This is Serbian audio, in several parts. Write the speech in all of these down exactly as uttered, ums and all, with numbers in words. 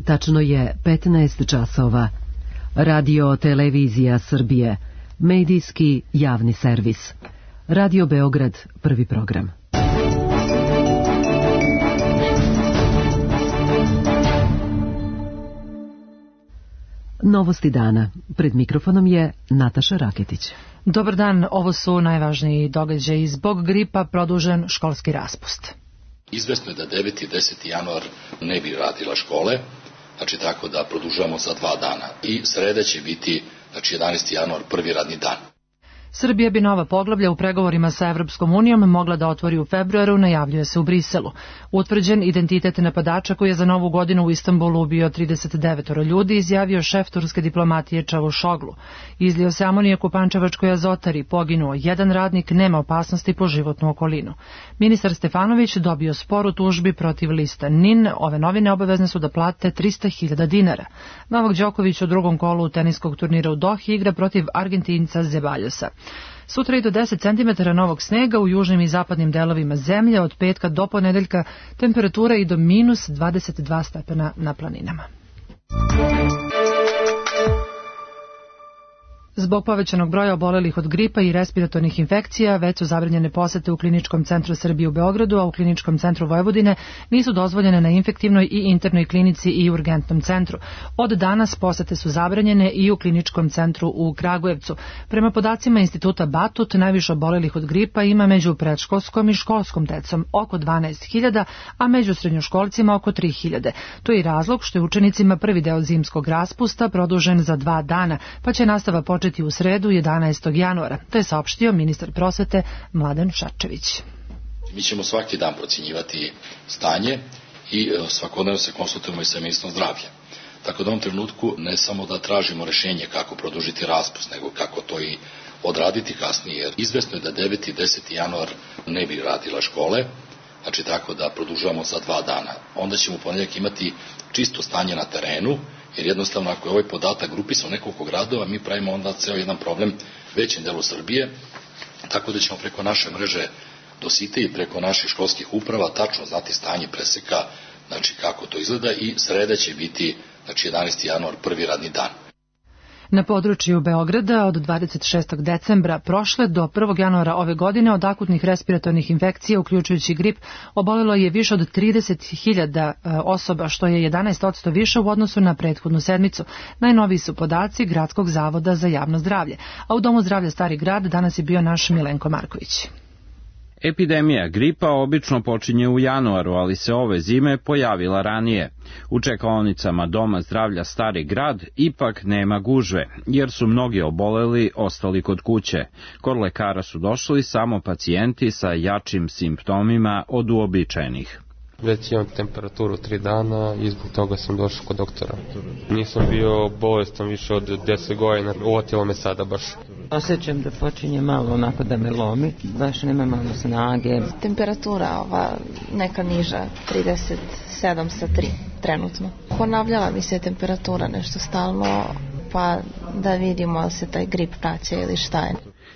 Tačno je petnaest časova. Radio Televizija Srbije, medijski javni servis. Radio Beograd, prvi program. Novosti dana. Pred mikrofonom je Nataša Raketić. Dobar dan, ovo su najvažniji događaji. Zbog gripa produžen školski raspust. Izvesno je da deveti i deseti januar ne bi radila škole, znači tako da produžavamo za dva dana. I sreda će biti, znači jedanaesti januar, prvi radni dan. Srbija bi nova poglavlja u pregovorima sa Evropskom unijom mogla da otvori u februaru, najavljuje se u Briselu. Utvrđen identitet napadača koji je za novu godinu u Istanbulu ubio trideset devet ljudi, izjavio šef turske diplomatije Čavušoglu. Izlio se amonijak u Pančevačkoj azotari, poginuo jedan radnik, nema opasnosti po životnu okolinu. Ministar Stefanović dobio spor u tužbi protiv lista N I N. Ove novine obavezne su da plate trista hiljada dinara. Novak Đoković u drugom kolu teniskog turnira u Dohi igra protiv Argentinca Zebaljosa. Sutra i do deset centimetara novog snega u južnim i zapadnim delovima zemlje, od petka do ponedeljka temperatura i do minus dvadeset dva stepena na planinama. Zbog povećanog broja obolelih od gripa i respiratornih infekcija, već su zabranjene posete u Kliničkom centru Srbije u Beogradu, a u Kliničkom centru Vojvodine nisu dozvoljene na infektivnoj i internoj klinici i urgentnom centru. Od danas posete su zabranjene i u Kliničkom centru u Kragujevcu. Prema podacima Instituta Batut, najviše obolelih od gripa ima među predškolskom i školskom decom, oko dvanaest hiljada, a među srednjoškolcima oko tri hiljade. To je i razlog što je učenicima prvi deo zimskog raspusta produžen za dva dana, pa će nastava početi u sredu jedanaestog januara. To je saopštio ministar prosvete Mladen Šarčević. Mi ćemo svaki dan procjenjivati stanje i svakodnevno se konsultujemo i sa ministrom zdravlja. Tako da u ovom trenutku ne samo da tražimo rešenje kako produžiti raspust, nego kako to i odraditi kasnije. Jer izvesno je da deveti i deseti januar ne bi radila škole, znači tako da produžavamo za dva dana. Onda ćemo u ponedeljak imati čisto stanje na terenu, jer jednostavno ako je ovaj podatak grupisan u nekoliko gradova, mi pravimo onda ceo jedan problem većem delu Srbije, tako da ćemo preko naše mreže do site i preko naših školskih uprava tačno znati stanje preseka, znači kako to izgleda, i sreda će biti, znači jedanaesti januar, prvi radni dan. Na području Beograda od dvadeset šestog decembra prošle do prvog januara ove godine od akutnih respiratornih infekcija, uključujući grip, obolelo je više od trideset hiljada osoba, što je jedanaest posto više u odnosu na prethodnu sedmicu. Najnoviji su podaci Gradskog zavoda za javno zdravlje. A u Domu zdravlja Stari grad danas je bio naš Milenko Marković. Epidemija gripa obično počinje u januaru, ali se ove zime pojavila ranije. U čekaonicama Doma zdravlja Stari grad ipak nema gužve, jer su mnogi oboleli ostali kod kuće. Kod lekara su došli samo pacijenti sa jačim simptomima od uobičajenih. Već imam temperaturu tri dana i zbog toga sam došao kod doktora. Nisam bio bolestan više od deset godina, uvotilo me sada baš. Osjećam da počinje malo onako da me lomi, baš nema malo snage. Temperatura ova neka niža, trideset sedam sa tri trenutno. Ponavljala mi se temperatura nešto stalno, pa da vidimo da se taj grip praća ili šta je.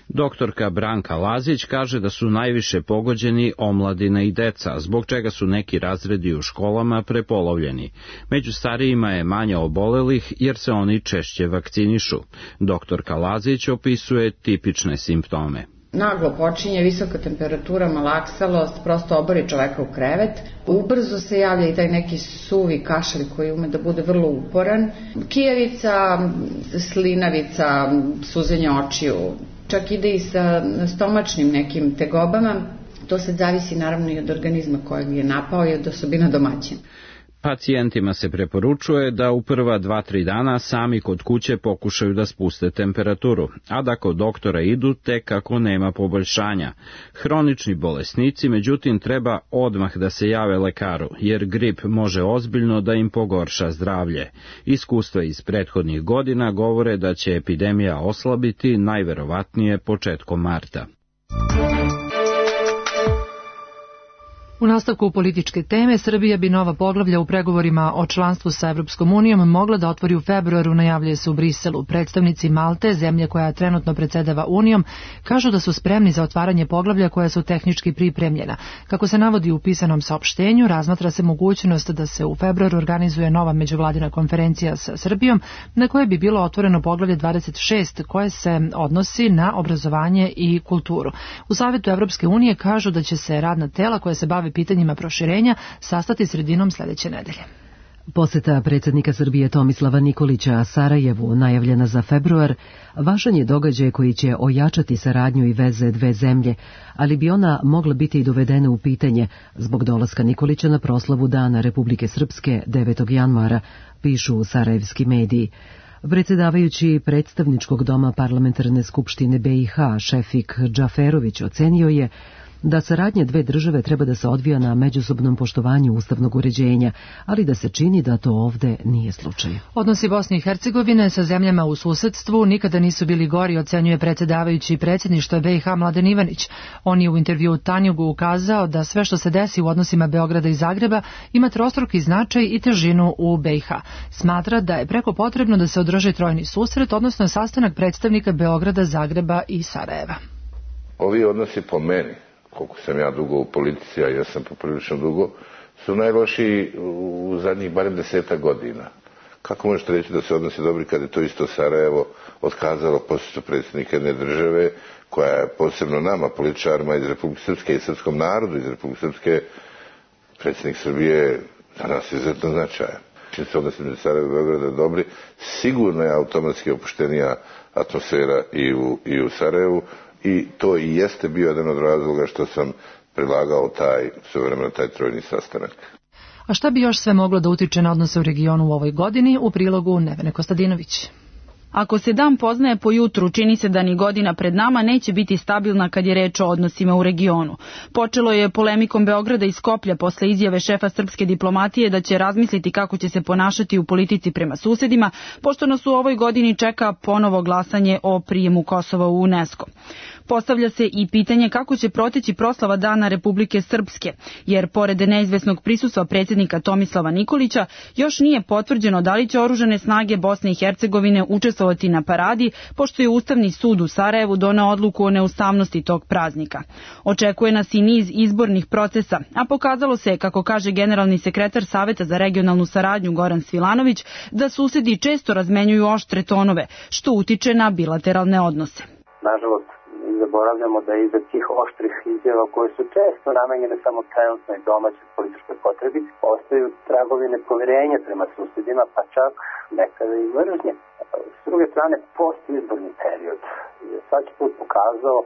Doktorka Branka Lazić kaže da su najviše pogođeni omladina i deca, zbog čega su neki razredi u školama prepolovljeni. Među starijima je manje obolelih jer se oni češće vakcinišu. Doktorka Lazić opisuje tipične simptome. Naglo počinje visoka temperatura, malaksalost, prosto obori čoveka u krevet. Ubrzo se javlja i taj neki suvi kašalj koji ume da bude vrlo uporan. Kijevica, slinavica, suzenje očiju, čak ide i sa stomačnim nekim tegobama. To sad zavisi naravno i od organizma kojeg je napao i od osobina domaćina. Pacijentima se preporučuje da u prva dva tri dana sami kod kuće pokušaju da spuste temperaturu, a da kod doktora idu tek ako nema poboljšanja. Hronični bolesnici, međutim, treba odmah da se jave lekaru, jer grip može ozbiljno da im pogorša zdravlje. Iskustva iz prethodnih godina govore da će epidemija oslabiti najverovatnije početkom marta. U nastavku političke teme, Srbija bi nova poglavlja u pregovorima o članstvu sa Evropskom unijom mogla da otvori u februaru, najavljuje se u Briselu. Predstavnici Malte, zemlje koja trenutno predsedava Unijom, kažu da su spremni za otvaranje poglavlja koja su tehnički pripremljena. Kako se navodi u pisanom saopštenju, razmatra se mogućnost da se u februaru organizuje nova međuvladina konferencija sa Srbijom, na kojoj bi bilo otvoreno poglavlje dvadeset šest koje se odnosi na obrazovanje i kulturu. U Savetu Evropske unije kažu da će se radna tela koja se bave pitanjima proširenja sastati sredinom sledeće nedelje. Poseta predsjednika Srbije Tomislava Nikolića Sarajevu, najavljena za februar, važan je događaj koji će ojačati saradnju i veze dve zemlje, ali bi ona mogla biti i dovedena u pitanje zbog dolaska Nikolića na proslavu Dana Republike Srpske devetog januara, pišu sarajevski mediji. Predsjedavajući predstavničkog doma parlamentarne skupštine B i H, Šefik Džaferović, ocenio je da saradnja dve države treba da se odvija na međusobnom poštovanju ustavnog uređenja, ali da se čini da to ovde nije slučaj. Odnosi Bosne i Hercegovine sa zemljama u susedstvu nikada nisu bili gori, ocenjuje predsjedavajući predsjedništva B i H Mladen Ivanić. On je u intervjuu Tanjugu ukazao da sve što se desi u odnosima Beograda i Zagreba ima trostruki značaj i težinu u B i H. Smatra da je preko potrebno da se održi trojni susret, odnosno sastanak predstavnika Beograda, Zagreba i Sarajeva. Ovi odnosi po meni, koliko sam ja dugo u politici, a ja sam poprilično dugo, su najlošiji u zadnjih barem desetak godina. Kako možete reći da se odnosi dobri kad je to isto Sarajevo otkazalo posjetu predsjednika jedne države, koja je posebno nama, političarima iz Republike Srpske i srpskom narodu iz Republike Srpske, predsjednik Srbije za nas izuzetno značajan. Čim se odnosi među Sarajevo i Beograda dobri, sigurno je automatski opuštenija atmosfera i u, i u Sarajevu, i to i jeste bio jedan od razloga što sam predlagao taj, svojevremeno taj trojni sastanak. A šta bi još sve moglo da utiče na odnose u regionu u ovoj godini, u prilogu Nevene Kostadinović. Ako se dan poznaje po jutru, čini se da ni godina pred nama neće biti stabilna kad je reč o odnosima u regionu. Počelo je polemikom Beograda i Skoplja posle izjave šefa srpske diplomatije da će razmisliti kako će se ponašati u politici prema susedima, pošto nas u ovoj godini čeka ponovo glasanje o prijemu Kosova u UNESCO. Postavlja se i pitanje kako će proteći proslava Dana Republike Srpske, jer pored neizvesnog prisustva predsjednika Tomislava Nikolića, još nije potvrđeno da li će oružane snage Bosne i Hercegovine učestvovati na paradi, pošto je Ustavni sud u Sarajevu doneo odluku o neustavnosti tog praznika. Očekuje nas i niz izbornih procesa, a pokazalo se, kako kaže generalni sekretar Saveta za regionalnu saradnju Goran Svilanović, da susedi često razmenjuju oštre tonove, što utiče na bilateralne odnose. Nažalost, zaboravljamo da iza tih oštrih izjava koje su često namenjene samo trenutnoj domaćoj političkoj potrebi, ostaju tragovi nepoverenja prema susedima, pa čak nekada i mržnje. S druge strane, postizborni period je svaki put pokazao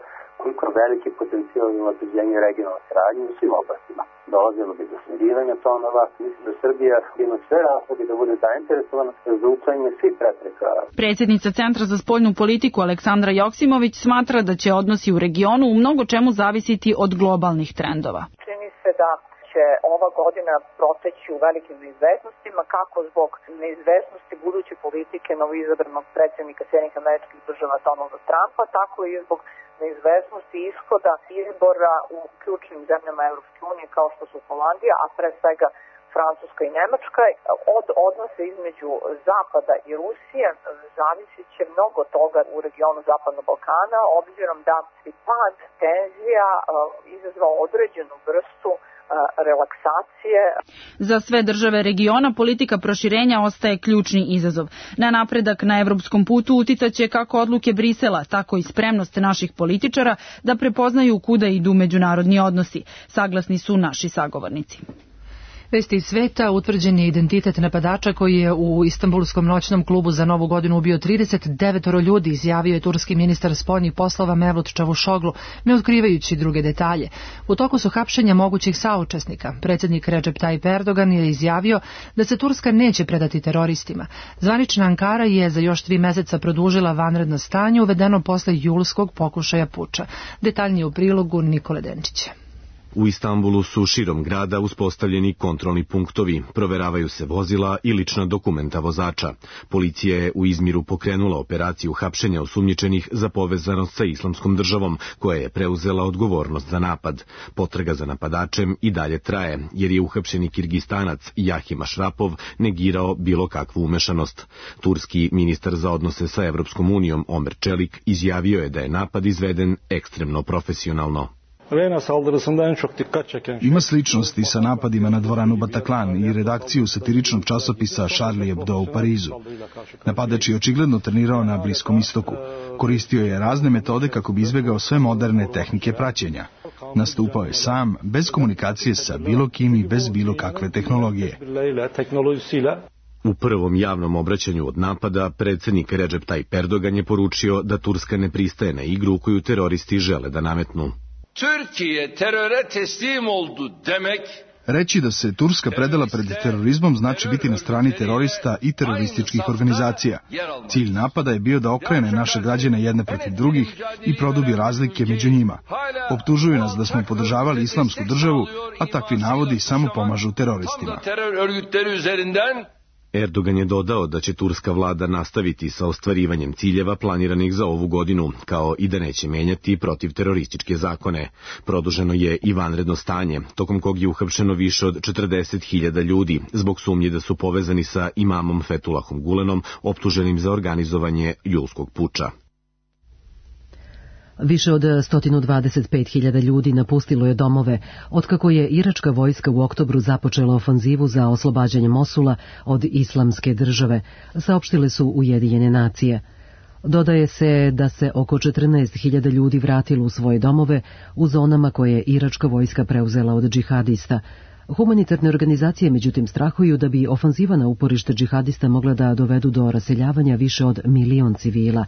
koliko veliki potencijal ima unapređenje regionalne saradnje u svim oblastima. Dolazilo bi do smirivanja tonova. Mislim da Srbija ima sve razloge da bude zainteresovana za uklanjanje svih prepreka. Predsjednica Centra za spoljnu politiku Aleksandra Joksimović smatra da će odnosi u regionu u mnogo čemu zavisiti od globalnih trendova. Čini se da će ova godina proteći u velikim neizvesnostima, kako zbog neizvesnosti buduće politike novoizabranog predsjednika Sjedinjenih Američkih Država Donalda Trumpa, tako i zbog neizvesnosti ishoda izbora u ključnim zemljama Evropske unije kao što su Holandija, a pre svega Francuska i Nemačka. Od odnose između Zapada i Rusije zavisit će mnogo toga u regionu Zapadnog Balkana, obzirom da bi pad tenzija izazvao određenu vrstu relaksacije. Za sve države regiona politika proširenja ostaje ključni izazov. Na napredak na evropskom putu uticaće kako odluke Brisela, tako i spremnost naših političara da prepoznaju kuda idu međunarodni odnosi, saglasni su naši sagovornici. Vesti iz sveta, utvrđen je identitet napadača koji je u Istanbulskom noćnom klubu za Novu godinu ubio trideset devet ljudi, izjavio je turski ministar spoljnih poslova Mevlut Čavuşoglu, ne otkrivajući druge detalje. U toku su hapšenja mogućih saučesnika. Predsjednik Recep Tayyip Erdogan je izjavio da se Turska neće predati teroristima. Zvanična Ankara je za još tri meseca produžila vanredno stanje uvedeno posle julskog pokušaja puča. Detaljnije u prilogu Nikole Denčića. U Istanbulu su širom grada uspostavljeni kontrolni punktovi, proveravaju se vozila i lična dokumenta vozača. Policija je u Izmiru pokrenula operaciju hapšenja osumnjičenih za povezanost sa Islamskom državom, koja je preuzela odgovornost za napad. Potraga za napadačem i dalje traje, jer je uhapšeni Kirgistanac Jahim Ašrapov negirao bilo kakvu umešanost. Turski ministar za odnose sa Evropskom unijom Omer Čelik izjavio je da je napad izveden ekstremno profesionalno. Ima sličnosti sa napadima na dvoranu Bataclan i redakciju satiričnog časopisa Charlie Hebdo u Parizu. Napadač je očigledno trenirao na Bliskom istoku. Koristio je razne metode kako bi izbegao sve moderne tehnike praćenja. Nastupao je sam, bez komunikacije sa bilo kim i bez bilo kakve tehnologije. U prvom javnom obraćanju od napada, predsjednik Recep Tayyip Erdogan je poručio da Turska ne pristaje na igru koju teroristi žele da nametnu. Türkiye teröre teslim oldu demek. Reći da se Turska predala pred terorizmom znači biti na strani terorista i terorističkih organizacija. Cilj napada je bio da okrene naše građane jedne protiv drugih i produbi razlike među njima. Optužuju nas da smo podržavali Islamsku državu, a takvi navodi samo pomažu teroristima. Erdogan je dodao da će turska vlada nastaviti sa ostvarivanjem ciljeva planiranih za ovu godinu, kao i da neće menjati protivterorističke zakone. Produženo je i vanredno stanje, tokom kog je uhapšeno više od četrdeset hiljada ljudi, zbog sumnje da su povezani sa imamom Fethullahom Gulenom, optuženim za organizovanje julskog puča. Više od sto dvadeset pet hiljada ljudi napustilo je domove, otkako je iračka vojska u oktobru započela ofanzivu za oslobađanje Mosula od Islamske države, saopštile su Ujedinjene nacije. Dodaje se da se oko četrnaest hiljada ljudi vratilo u svoje domove u zonama koje je iračka vojska preuzela od džihadista. Humanitarne organizacije međutim strahuju da bi ofanziva na uporište džihadista mogla da dovedu do raseljavanja više od milion civila.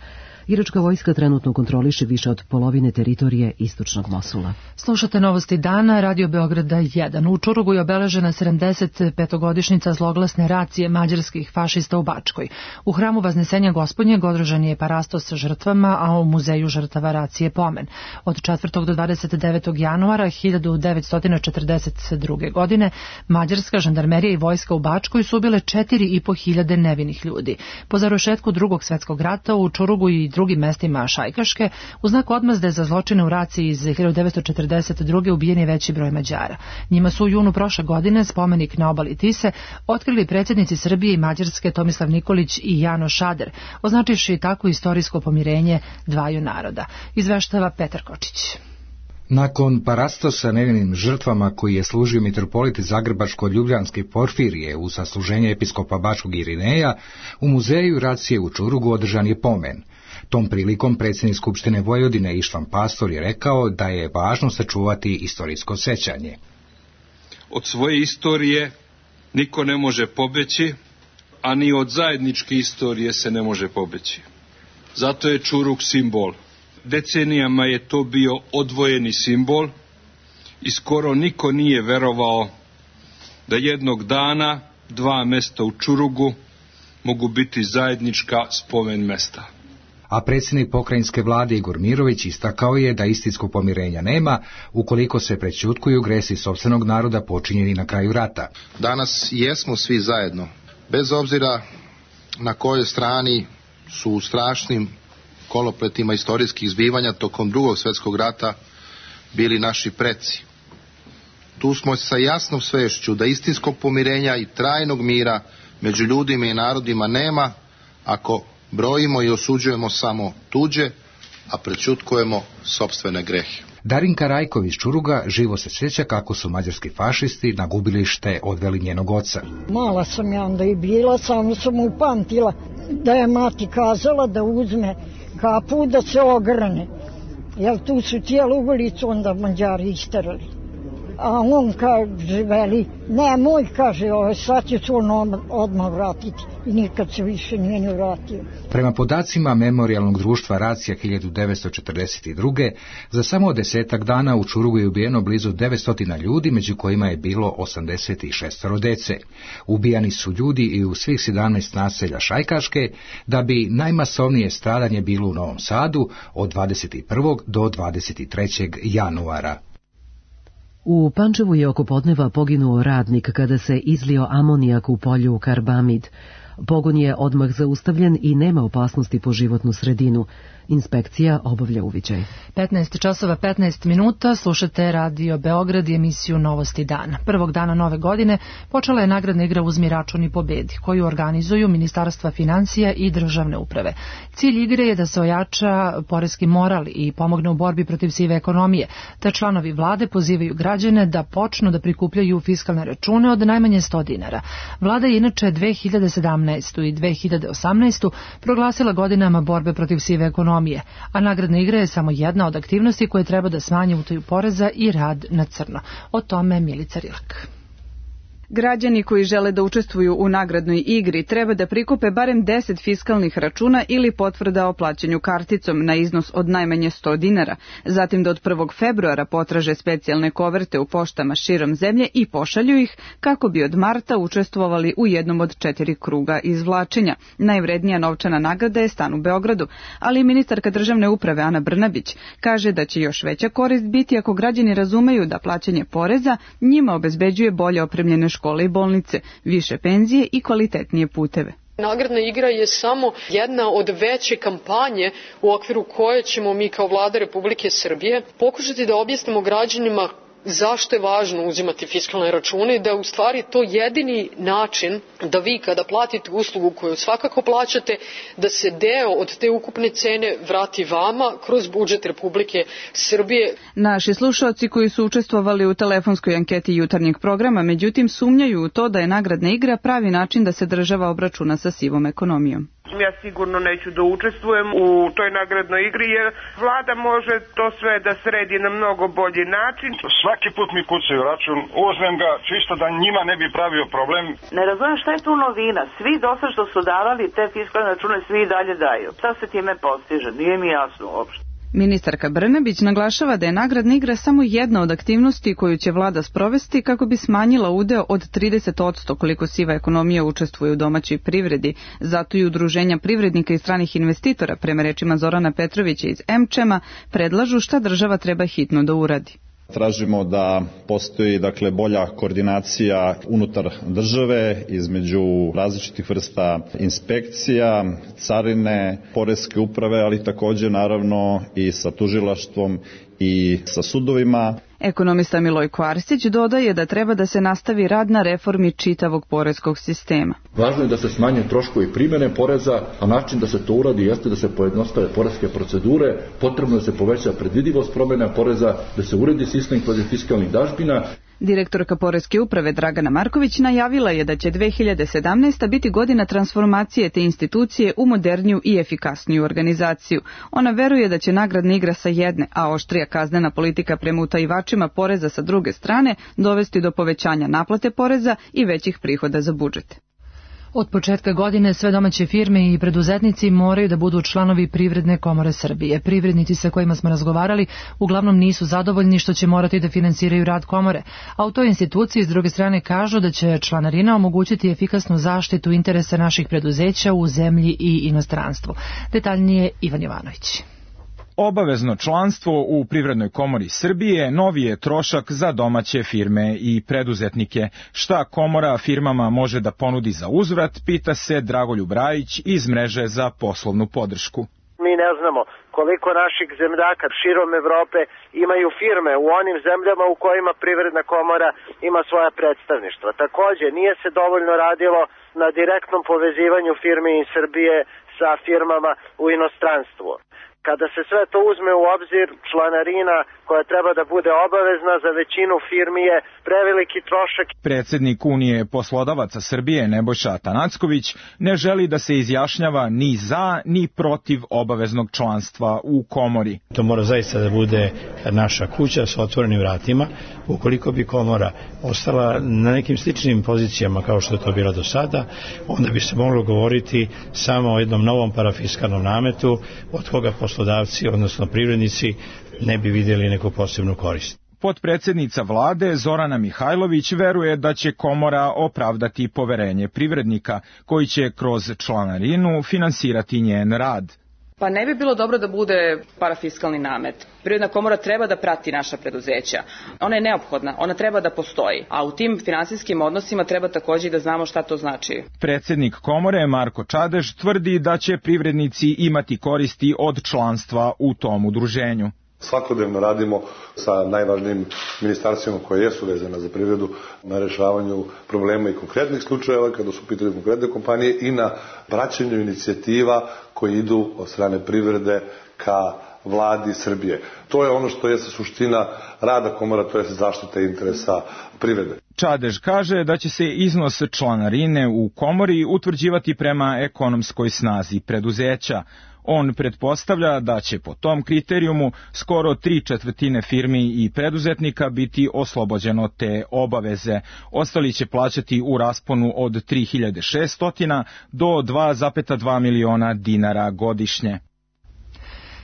Iračka vojska trenutno kontroliše više od polovine teritorije istočnog Mosula. Slušate novosti dana, Radio Beograda jedan. U Čurugu je obeležena sedamdeset petogodišnjica zloglasne racije mađarskih fašista u Bačkoj. U hramu Vaznesenja Gospodnjeg održan je parastos sa žrtvama, a u muzeju žrtava racije pomen. Od četvrtog do dvadeset devetog januara hiljadu devetsto četrdeset druge. godine mađarska žandarmerija i vojska u Bačkoj su ubile četiri i po hiljade nevinih ljudi. Po završetku drugog svjetskog rata u Čurugu i drugim mestima Šajkaške, u znak odmazde za zločine u raciji iz hiljadu devetsto četrdeset druge. ubijen je veći broj Mađara. Njima su u junu prošle godine spomenik na obali Tise otkrili predsjednici Srbije i Mađarske Tomislav Nikolić i Jano Šader, označivši tako istorijsko pomirenje dvaju naroda. Izveštava Petar Kočić. Nakon parastosa nevinim žrtvama koji je služio mitropolit Zagrebačko-Ljubljanski Porfirije u sasluženje episkopa Bačkog Irineja, u muzeju racije u Čurugu održan je pomen. Tom prilikom predsjednik Skupštine Vojvodine Ištvan Pastor je rekao da je važno sačuvati istorijsko sećanje. Od svoje istorije niko ne može pobeći, a ni od zajedničke istorije se ne može pobeći. Zato je Čurug simbol. Decenijama je to bio odvojeni simbol i skoro niko nije verovao da jednog dana dva mesta u Čurugu mogu biti zajednička spomen mesta. A predsjednik pokrajinske vlade Igor Mirović istakao je da istinskog pomirenja nema ukoliko se prećutkuju gresi sopstvenog naroda počinjeni na kraju rata. Danas jesmo svi zajedno, bez obzira na kojoj strani su u strašnim kolopletima istorijskih zbivanja tokom drugog svjetskog rata bili naši preci. Tu smo sa jasnom svešću da istinskog pomirenja i trajnog mira među ljudima i narodima nema ako brojimo i osuđujemo samo tuđe, a prećutkujemo sopstvene grehe. Darinka Rajkov iz Čuruga živo se sjeća kako su mađarski fašisti na gubilište odveli njenog oca. Mala sam ja onda i bila, samo sam upamtila da je mati kazala da uzme kapu da se ograne. Jer tu su cijelu ulicu onda Mađari isterali. A on kaže, veli, nemoj, kaže, ovaj, sad će se on odmah vratiti. I nikad se više nije ni vratio. Prema podacima Memorijalnog društva Racija hiljadu devetsto četrdeset druge. za samo desetak dana u Čurugu je ubijeno blizu devetsto ljudi, među kojima je bilo osamdeset šest dece. Ubijani su ljudi i u svih sedamnaest naselja Šajkaške, da bi najmasovnije stradanje bilo u Novom Sadu od dvadeset prvog do dvadeset trećeg januara. U Pančevu je oko podneva poginuo radnik kada se izlio amonijak u polju karbamid. Pogon je odmah zaustavljen i nema opasnosti po životnu sredinu. Inspekcija obavlja uviđaj. petnaest časova petnaest minuta, slušate Radio Beograd i emisiju Novosti dana. Prvog dana nove godine počela je nagradna igra Uzmi račun i pobedi, koju organizuju Ministarstva financija i državne uprave. Cilj igre je da se ojača poreski moral i pomogne u borbi protiv sive ekonomije, te članovi vlade pozivaju građane da počnu da prikupljaju fiskalne račune od najmanje sto dinara. Vlada je inače dve hiljade sedamnaestu. i dve hiljade osamnaestu. proglasila godinama borbe protiv sive ekonomije, a nagradna igra je samo jedna od aktivnosti koje treba da smanje utaju poreza i rad na crno. O tome Milica Rilak. Građani koji žele da učestvuju u nagradnoj igri treba da prikupe barem deset fiskalnih računa ili potvrda o plaćanju karticom na iznos od najmanje sto dinara, zatim da od prvog februara potraže specijalne koverte u poštama širom zemlje i pošalju ih kako bi od marta učestvovali u jednom od četiri kruga izvlačenja. Najvrednija novčana nagrada je stan u Beogradu, ali ministarka državne uprave Ana Brnabić kaže da će još veća korist biti ako građani razumeju da plaćanje poreza njima obezbeđuje bolje opremljene škole i bolnice, više penzije i kvalitetnije puteve. Nagradna igra je samo jedna od veće kampanje u okviru koje ćemo mi kao Vlada Republike Srbije pokušati da objasnimo građanima zašto je važno uzimati fiskalne račune i da je u stvari to jedini način da vi kada platite uslugu koju svakako plaćate, da se deo od te ukupne cene vrati vama kroz budžet Republike Srbije. Naši slušaoci koji su učestvovali u telefonskoj anketi jutarnjeg programa, međutim sumnjaju u to da je nagradna igra pravi način da se država obračuna sa sivom ekonomijom. Ja sigurno neću da učestvujem u toj nagradnoj igri jer vlada može to sve da sredi na mnogo bolji način. Svaki put mi kucaju račun, uzmem ga čisto da njima ne bi pravio problem. Ne razumem šta je tu novina. Svi dosad što su davali te fiskalne račune, svi i dalje daju. Šta se time postiže? Nije mi jasno uopšte. Ministarka Brnabić naglašava da je nagradna igra samo jedna od aktivnosti koju će vlada sprovesti kako bi smanjila udeo od trideset posto koliko siva ekonomija učestvuje u domaćoj privredi. Zato i udruženja privrednika i stranih investitora, prema rečima Zorana Petrovića iz Emčema, predlažu šta država treba hitno da uradi. Tražimo da postoji dakle bolja koordinacija unutar države između različitih vrsta inspekcija, carine, poreske uprave, ali također naravno i sa tužilaštvom i sa sudovima. Ekonomista Milojko Arsić dodaje da treba da se nastavi rad na reformi čitavog poreskog sistema. Važno je da se smanje troškovi primjene poreza, a način da se to uradi jeste da se pojednostave poreske procedure, potrebno da se poveća predvidivost promjena poreza, da se uredi sistem fiskalnih dažbina. Direktorka Poreske uprave Dragana Marković najavila je da će dve hiljade sedamnaesta. biti godina transformacije te institucije u moderniju i efikasniju organizaciju. Ona veruje da će nagradna igra sa jedne, a oštrija kaznena politika prema utajivačima poreza sa druge strane dovesti do povećanja naplate poreza i većih prihoda za budžet. Od početka godine sve domaće firme i preduzetnici moraju da budu članovi Privredne komore Srbije. Privrednici sa kojima smo razgovarali uglavnom nisu zadovoljni što će morati da finansiraju rad komore, a u toj instituciji s druge strane kažu da će članarina omogućiti efikasnu zaštitu interesa naših preduzeća u zemlji i inostranstvu. Detaljnije Ivan Jovanović. Obavezno članstvo u Privrednoj komori Srbije novi je trošak za domaće firme i preduzetnike. Šta komora firmama može da ponudi za uzvrat, pita se Dragoljub Rajić iz mreže za poslovnu podršku. Mi ne znamo koliko naših zemljaka širom Evrope imaju firme u onim zemljama u kojima Privredna komora ima svoja predstavništva. Takođe, nije se dovoljno radilo na direktnom povezivanju firmi iz Srbije sa firmama u inostranstvu. Kada se sve to uzme u obzir, članarina koja treba da bude obavezna za većinu firmi je preveliki trošak. Predsednik Unije poslodavaca Srbije Nebojša Atanacković ne želi da se izjašnjava ni za ni protiv obaveznog članstva u komori. To mora zaista da bude naša kuća sa otvorenim vratima. Ukoliko bi komora ostala na nekim sličnim pozicijama kao što je to bilo do sada, onda bi se moglo govoriti samo o jednom novom parafiskalnom nametu od koga poslodavci, odnosno privrednici, ne bi vidjeli neku posebnu korist. Potpredsjednica vlade Zorana Mihajlović veruje da će komora opravdati poverenje privrednika koji će kroz članarinu finansirati njen rad. Pa ne bi bilo dobro da bude parafiskalni namet. Privredna komora treba da prati naša preduzeća. Ona je neophodna, ona treba da postoji, a u tim finansijskim odnosima treba takođe da znamo šta to znači. Predsednik komore Marko Čadež tvrdi da će privrednici imati koristi od članstva u tom udruženju. Svakodnevno radimo sa najvažnijim ministarstvima koje jesu vezane za privredu na rešavanju problema i konkretnih slučajeva kada su pitanje konkretne kompanije i na praćenju inicijativa koje idu od strane privrede ka vladi Srbije. To je ono što je suština rada komora, to je zaštita interesa privrede. Čadež kaže da će se iznos članarine u komori utvrđivati prema ekonomskoj snazi preduzeća. On pretpostavlja da će po tom kriterijumu skoro tri četvrtine firmi i preduzetnika biti oslobođeno te obaveze. Ostali će plaćati u rasponu od tri hiljade šesto do dva zarez dva miliona dinara godišnje.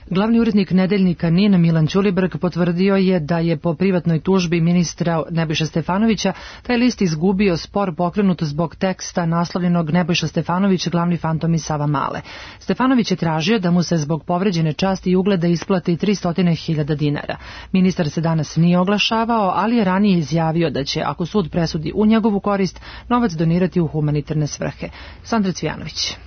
Glavni urednik Nedeljnika N I N Milan Ćulibrk potvrdio je da je po privatnoj tužbi ministra Nebojše Stefanovića taj list izgubio spor pokrenut zbog teksta naslovljenog Nebojša Stefanović, glavni fantom iz Savamale. Stefanović je tražio da mu se zbog povređene časti i ugleda isplati tristo hiljada dinara. Ministar se danas nije oglašavao, ali je ranije izjavio da će, ako sud presudi u njegovu korist, novac donirati u humanitarne svrhe. Sandra Cvijanović.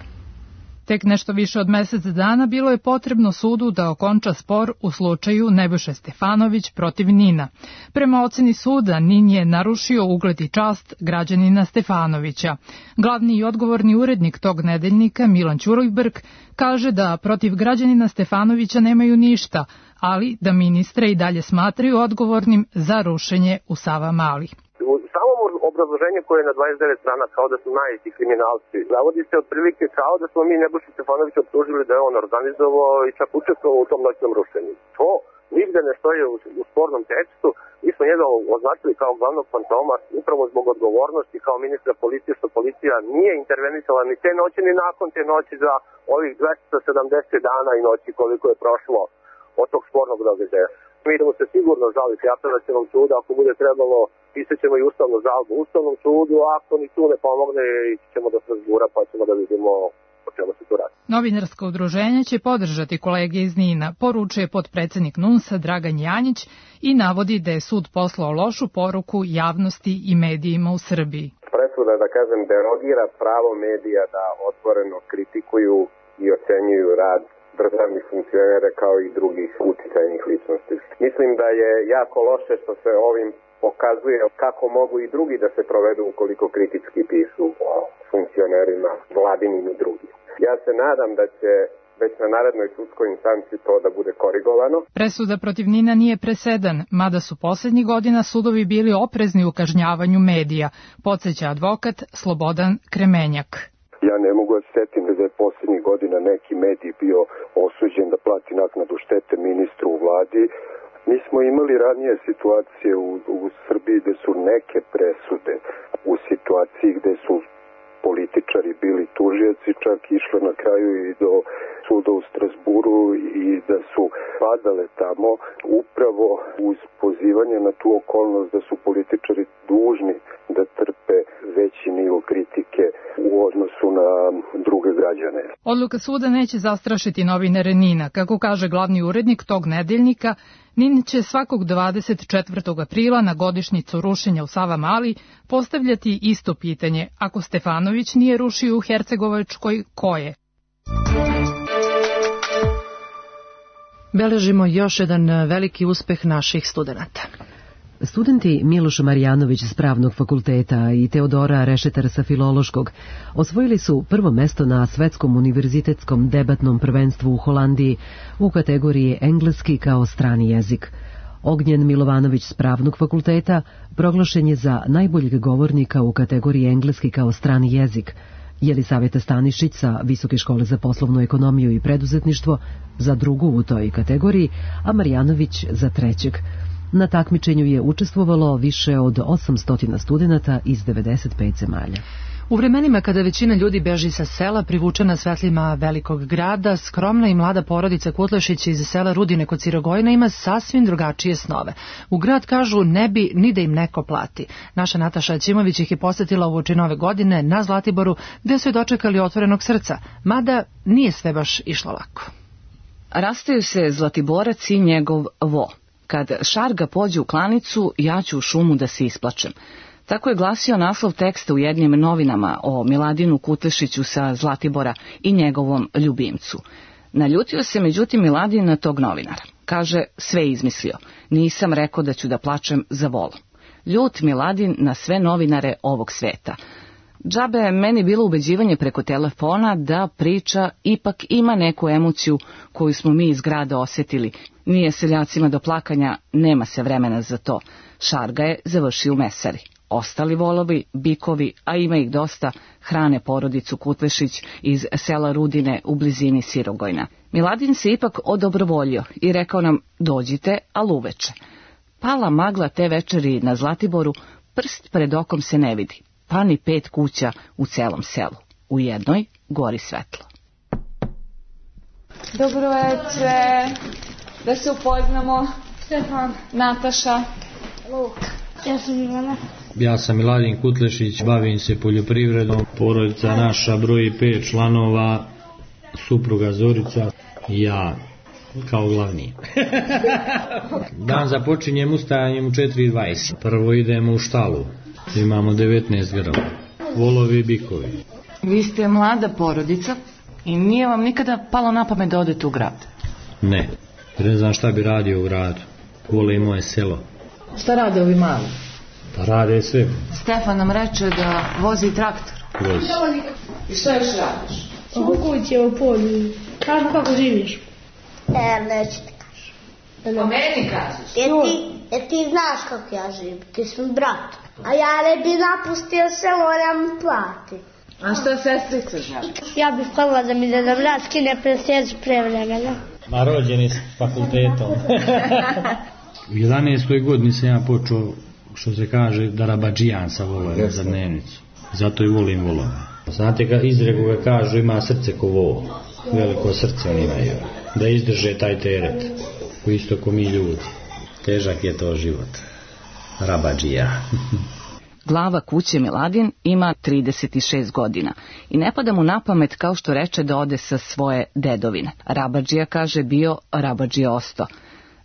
Tek nešto više od mesec dana bilo je potrebno sudu da okonča spor u slučaju Nebojše Stefanović protiv N I N-a. Prema oceni suda, N I N je narušio ugled i čast građanina Stefanovića. Glavni i odgovorni urednik tog nedeljnika, Milan Ćulibrk, kaže da protiv građanina Stefanovića nemaju ništa, ali da ministre i dalje smatraju odgovornim za rušenje u Savamali. Obrazloženje koje je na dvadeset devet strana kao da su najveći kriminalci. Zavodi se otprilike kao da smo mi Nebojšu Stefanovića optužili da je on organizovao i čak učestvovao u tom noćnom rušenju. To nigde ne stoji u, u spornom tekstu. Mi smo njega označili kao glavnog fantoma upravo zbog odgovornosti kao ministra policije, što policija nije intervenisala ni te noći ni nakon te noći za ovih dvesta sedamdeset dana i noći koliko je prošlo od tog spornog događaja. Mi idemo se sigurno žaliti apelacionom sudu, ako bude trebalo pisat ćemo i ustavnu žalbu Ustavnom sudu, a ako ni tu ne pomogne, ići ćemo do Strasbura pa ćemo da vidimo o čemu se tu radi. Novinarsko udruženje će podržati kolege iz N I N-a, poručuje potpredsednik N U N S-a Dragan Janjić i navodi da je sud poslao lošu poruku javnosti i medijima u Srbiji. Presuda, da kažem, derogira pravo medija da otvoreno kritikuju i ocenjuju rad državnih funkcionera kao i drugih uticajnih ličnosti. Mislim da je jako loše što se ovim pokazuje kako mogu i drugi da se provedu ukoliko kritički pišu o funkcionerima vladinim i drugim. Ja se nadam da će već na narednoj sudskoj instanci to da bude korigovano. Presuda protiv N I N-a nije presedan, mada su poslednjih godina sudovi bili oprezni u kažnjavanju medija, podsjeća advokat Slobodan Kremenjak. Ja ne mogu da setim da je poslednjih godina neki medij bio osuđen da plati naknadu štete ministru u vladi. Mi smo imali ranije situacije u, u Srbiji gde su neke presude u situaciji gde su političari bili tužioci, čak išle na kraju i do suda u Strasburu i da su padale tamo upravo uz pozivanje na tu okolnost da su političari dužni da trpe veći nivo kritike u odnosu na druge građane. Odluka suda neće zastrašiti novinare N I N-a. Kako kaže glavni urednik tog nedeljnika, N I N će svakog dvadeset četvrtog aprila na godišnjicu rušenja u Savamali postavljati isto pitanje. Ako Stefanović nije rušio u Hercegovačkoj, ko je? Beležimo još jedan veliki uspeh naših studenata. Studenti Miloš Marjanović s Pravnog fakulteta i Teodora Rešetar sa Filološkog osvojili su prvo mesto na Svetskom univerzitetskom debatnom prvenstvu u Holandiji u kategoriji engleski kao strani jezik. Ognjen Milovanović s Pravnog fakulteta proglašen je za najboljeg govornika u kategoriji engleski kao strani jezik, Jelisaveta Stanišić sa Visoke škole za poslovnu ekonomiju i preduzetništvo za drugu u toj kategoriji, a Marjanović za trećeg. Na takmičenju je učestvovalo više od osamsto studenata iz devedeset pet zemalja. U vremenima kada većina ljudi beži sa sela, privučena svetlima velikog grada, skromna i mlada porodica Kutlešić iz sela Rudine kod Sirogojna ima sasvim drugačije snove. U grad, kažu, ne bi ni da im neko plati. Naša Nataša Ćimović ih je posetila uoči nove godine na Zlatiboru, gde su je dočekali otvorenog srca, mada nije sve baš išlo lako. Rastaju se Zlatiborac i njegov vo. Kad Šarga pođe u klanicu, ja ću u šumu da se isplačem. Tako je glasio naslov teksta u jednim novinama o Miladinu Kutlešiću sa Zlatibora i njegovom ljubimcu. Naljutio se međutim Miladin na tog novinara. Kaže, sve izmislio. Nisam rekao da ću da plačem za volom. Ljut Miladin na sve novinare ovog sveta. Džabe je meni bilo ubeđivanje preko telefona da priča ipak ima neku emociju koju smo mi iz grada osjetili. Nije seljacima do plakanja, nema se vremena za to. Šarga je završio u mesari. Ostali volovi, bikovi, a ima ih dosta, hrane porodicu Kutlešić iz sela Rudine u blizini Sirogojna. Miladin se ipak odobrovoljio i rekao nam, dođite, al uveče. Pala magla te večeri na Zlatiboru, prst pred okom se ne vidi, pa ni pet kuća u celom selu. U jednoj gori svetlo. Dobro večer, da se upoznamo. Stefan. Nataša. Luka. Ja sam Ivana. Ja sam Miladin Kutlešić, bavim se poljoprivredom. Porodica naša broji pet članova, supruga Zorica i ja kao glavni. Dan započinjem ustajanjem u četiri dvadeset. Prvo idemo u štalu. Imamo devetnaest grla. Volovi i bikovi. Vi ste mlada porodica i nije vam nikada palo na pamet da odete u grad? Ne, ne znam šta bi radio u gradu. Vole i moje selo. Šta rade ovi mali? Pa rade sve. Stefan nam reče da vozi traktor. Vozi. I šta još radiš? U kući, u polju. Kažu kako živiš. E, neću ti kažem. Pa meni kažeš? Jer ti, jer ti znaš kako ja živim. Ti sam brat. A ja ne bi napustio selo, moram plati. A šta sestrica želi? Ja bih hvala da mi da brat skine presjeđu pre vremena. Ma rođeni s fakultetom. U jedanaestoj godini sam ja počeo, što se kaže, da rabadžijan sa volom za dnevnicu. Zato i volim volove. Znate, ka izreku ga kažu, ima srce ko vol. Veliko srce oni imaju. Da izdrže taj teret. U isto ko mi ljudi. Težak je to život. Rabadžija. Glava kuće Miladin ima trideset šest godina i ne pada mu na pamet, kao što reče, da ode sa svoje dedovine. Rabadžija, kaže, bio, rabadžija osto.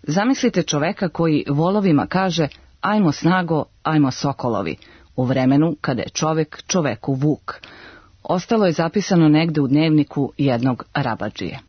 Zamislite čoveka koji volovima kaže, ajmo snago, ajmo sokolovi, u vremenu kada je čovek čoveku vuk. Ostalo je zapisano negde u dnevniku jednog rabadžije.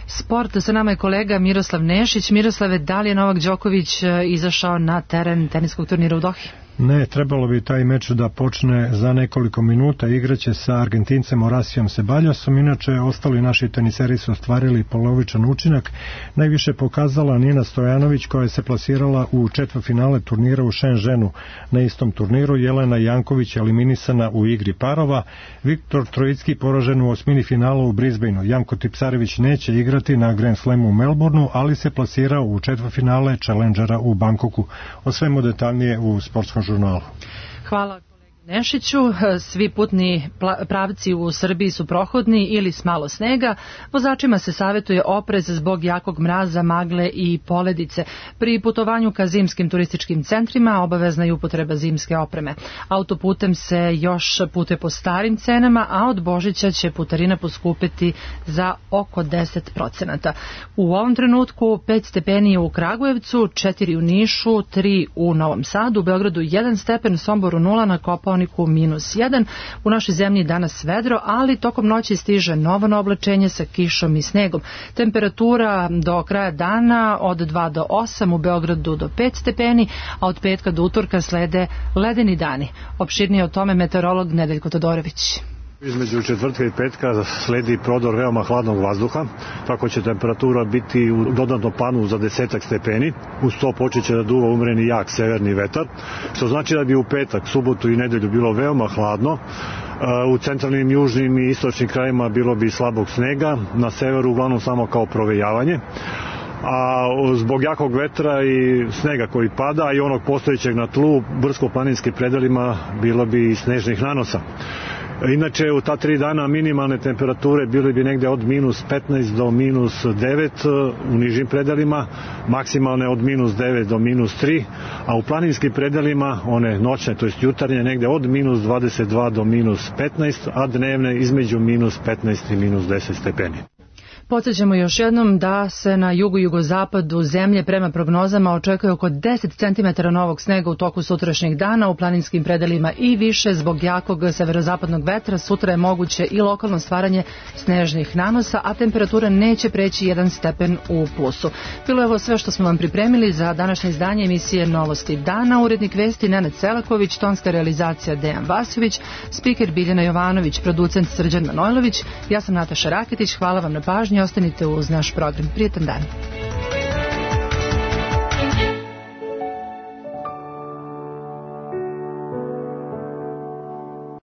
Sport, sa nama je kolega Miroslav Nešić. Miroslave, da li je Novak Đoković izašao na teren teniskog turnira u Dohi? Ne, trebalo bi taj meč da počne za nekoliko minuta. Igraće sa Argentincem Horasijom Sebaljosom. Inače, ostali naši teniseri su ostvarili polovičan učinak. Najviše pokazala Nina Stojanović, koja se plasirala u četvrtfinale turnira u Shenzhenu. Na istom turniru Jelena Janković eliminisana u igri parova. Viktor Trojicki poražen u osmini finala u Brisbaneu. Janko Tipsarević neće igrati na Grand Slamu u Melbourneu, ali se plasirao u četvrtfinale Challengera u Bangkoku. O svemu detaljnije u sportskom žurnalu. Hvala kolegi Nešiću. Svi putni pravci u Srbiji su prohodni ili s malo snega. Vozačima se savjetuje oprez zbog jakog mraza, magle i poledice. Pri putovanju ka zimskim turističkim centrima obavezna je upotreba zimske opreme. Autoputem se još putuje po starim cenama, a od Božića će putarina poskupeti za oko deset procenata. U ovom trenutku pet stepeni u Kragujevcu, četiri u Nišu, tri u Novom Sadu, u Beogradu jedan stepen, Somboru nula, na Kopaoniku minus jedan. U našoj zemlji danas vedro, ali tokom noći stiže novo oblačenje sa kišom i snegom. Temperatura do kraja dana od dva do osam, u Beogradu do pet stepeni, a od petka do utorka slede ledeni dani. Opširnije o tome meteorolog Nedeljko Todorović. Između četvrtka i petka sledi prodor veoma hladnog vazduha, tako će temperatura biti u dodatnom panu za desetak stepeni. Uz to počeće da duva umreni jak severni vetar, što znači da bi u petak, subotu i nedelju bilo veoma hladno. U centralnim, južnim i istočnim krajima bilo bi slabog snega, na severu uglavnom samo kao provejavanje. A zbog jakog vetra i snega koji pada i onog postojećeg na tlu, brdsko-planinskim predelima bilo bi i snežnih nanosa. Inače, u ta tri dana minimalne temperature bile bi negde od minus petnaest do minus devet u nižim predelima, maksimalne od minus devet do minus tri, a u planinskim predelima, one noćne, to jest jutarnje, negde od minus dvadeset dva do minus petnaest, a dnevne između minus petnaest i minus deset stepeni. Podsjećamo još jednom da se na jugu i jugozapadu zemlje prema prognozama očekuje oko deset centimetara novog snega u toku sutrašnjeg dana, u planinskim predelima i više zbog jakog severozapadnog vetra. Sutra je moguće i lokalno stvaranje snežnih nanosa, a temperatura neće preći jedan stepen u plusu. Bilo je ovo sve što smo vam pripremili za današnje izdanje emisije Novosti dana. Urednik vesti Nenad Selaković, tonska realizacija Dejan Vasović, spiker Biljana Jovanović, producent Srđan Manojlović. Ja sam Nataša Raketić, hvala vam na pažnji, ostanite uz naš program. Prijetan dan.